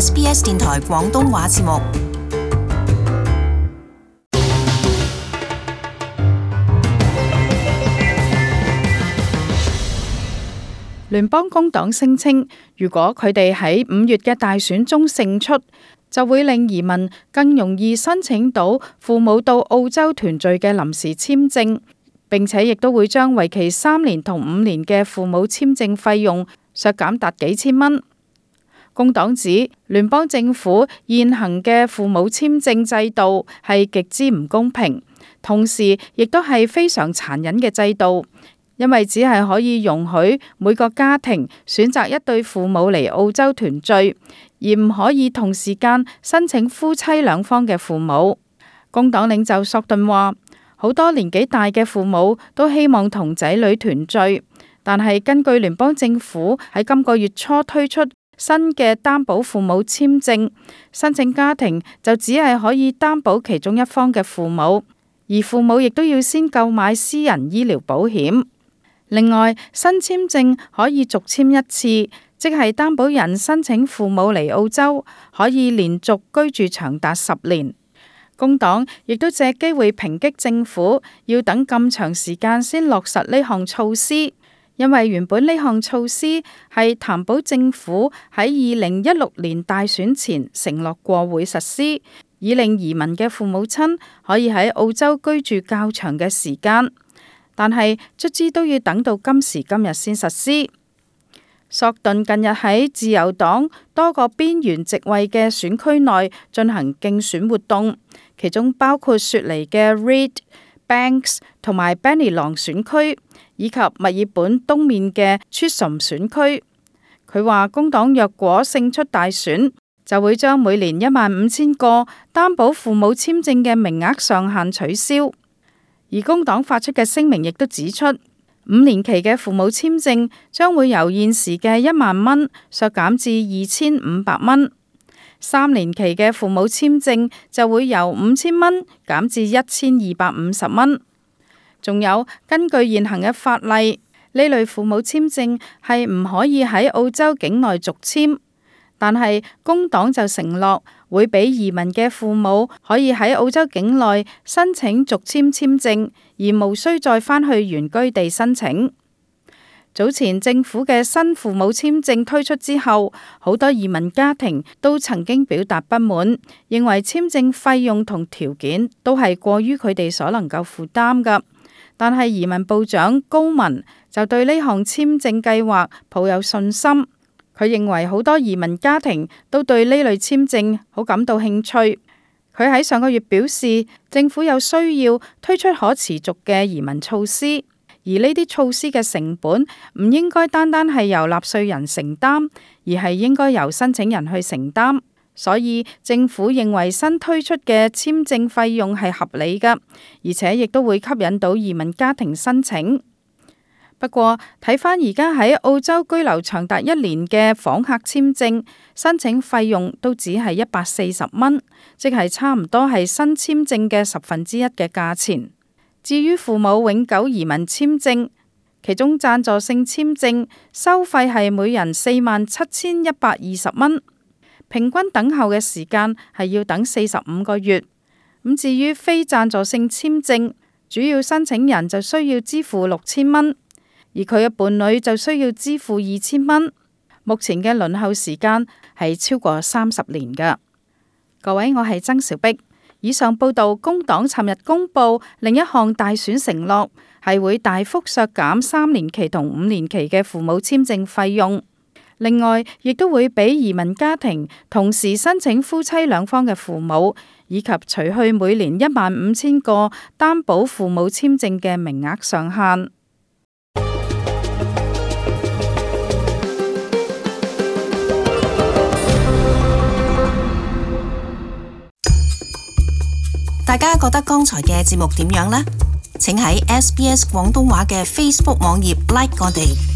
SBS 電台廣東話節目。聯邦工黨聲稱，如果佢哋喺5月嘅大選中勝出，就會令移民更容易申請到父母到澳洲團聚嘅臨時簽證，並且亦都會將為期3年同5年嘅父母簽證費用削減達幾千蚊。工黨指聯邦政府現行嘅父母簽證制度係極之唔公平，同時亦都係非常殘忍嘅制度。因為只係可以容許每個家庭選擇一對父母嚟澳洲團聚，而唔可以同時間申請夫妻兩方嘅父母。工黨領袖索頓話，好多年紀大嘅父母都希望同仔女團聚，但係根據聯邦政府喺今個月初推出新嘅擔保父母簽證，申請家庭就只係可以擔保其中一方嘅父母，而父母亦都要先購買私人醫療保險。另外，新簽證可以續簽一次，即係擔保人申請父母嚟澳洲，可以連續居住長達10年。工黨亦都借機會抨擊政府要等咁長時間先落實呢項措施，因為原本呢項措施係擔保政府喺2016年大選前承諾過會實施，以令移民嘅父母親可以喺澳洲居住較長嘅時間。但係卒之都要等到今時今日先實施。索頓近日喺自由黨多個邊緣席位嘅選區內進行競選活動，其中包括雪梨嘅 Reed、Banks 同埋 Bennelong 選區，以及墨爾本東面嘅 Chisholm 選區。佢話工黨若果勝出大選，就會將每年15,000個擔保父母簽證嘅名額上限取消。而工黨發出嘅聲明亦都指出，5年期嘅父母簽證將會由現時嘅1萬蚊削減至2,500蚊，3年期嘅父母簽證就會由5,000蚊減至1,250蚊。仲有，根據現行嘅法例，呢類父母簽證係唔可以喺澳洲境內續簽，但係工黨就承諾會俾移民嘅父母可以喺澳洲境內申請續簽簽證，而無需再返去原居地申請。早前政府嘅新父母簽證推出之後，好多移民家庭都曾經表達不滿，認為簽證費用同條件都係過於佢哋所能夠負擔㗎。但係移民部長高文就對呢項簽證計劃抱有信心。佢認為好多移民家庭都對呢類簽證好感到興趣。佢喺上個月表示，政府有需要推出可持續嘅移民措施，而呢啲措施嘅成本唔應該單單係由納稅人承擔，而係應該由申請人去承擔。所以政府認為新推出嘅簽證費用係合理㗎，而且亦都會吸引到移民家庭申請。不過睇返而家喺澳洲居留長達1年嘅訪客簽證，申請費用都只係140蚊，即係差唔多係新簽證嘅1/10嘅價錢。至於父母永久移民簽證，其中贊助性簽證收費係每人47,120蚊，平均等候嘅時間係要等45個月。咁至於非贊助性簽證，主要申請人就需要支付6,000蚊。而佢嘅伴侶就需要支付2,000蚊。目前嘅輪候時間係超過30年㗎。各位，我係曾兆碧。以上報道，工黨尋日公布另一項大選承諾，係會大幅削減3年期同5年期嘅父母簽證費用。另外，亦都會俾移民家庭同時申請夫妻兩方嘅父母，以及除去每年15,000個擔保父母簽證嘅名額上限。大家覺得剛才嘅節目點樣呢？請喺SBS 廣東話嘅 Facebook 網頁 like 我哋。